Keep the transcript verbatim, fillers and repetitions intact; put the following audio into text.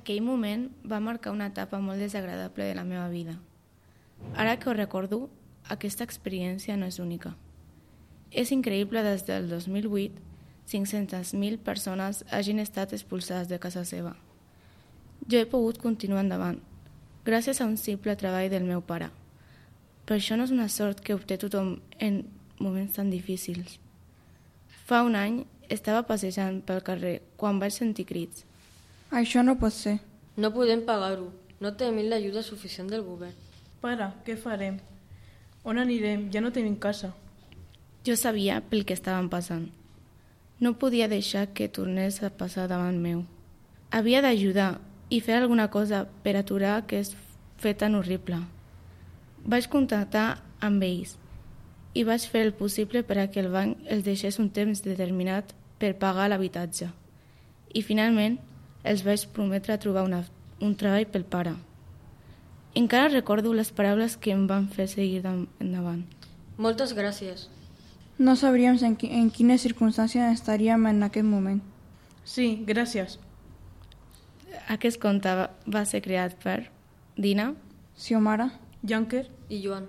Aquell moment va marcar una etapa molt desagradable de la meva vida. Ara que ho recordo, aquesta experiència no és única. És increïble des del dos mil vuit cinc-centes mil persones hagin estat expulsades de casa seva. Jo he pogut continuar endavant, gràcies a un simple treball del meu pare. Però això no és una sort que obté tothom en moments tan difícils. Fa un any estava passejant pel carrer quan vaig sentir crits. Això no pot ser. No podem pagar-ho. No tenim l'ajuda suficient del govern. Pare, què farem? On anirem? Ja no tenim casa. Jo sabia pel que estaven passant. No podia deixar que tornés a passar davant meu. Havia d'ajudar i fer alguna cosa per aturar aquest fet tan horrible. Vaig contactar amb ells i vaig fer el possible per a que el banc els deixés un temps determinat per pagar l'habitatge. I finalment els vaig prometre trobar una, un treball pel pare. Encara recordo les paraules que em van fer seguir endavant. Moltes gràcies. No sabríem en, qui, en quines circumstàncies estaríem en aquest moment. Sí, gràcies. Aquest conte va ser creat per Dina, Xiomara, Junker I Joan.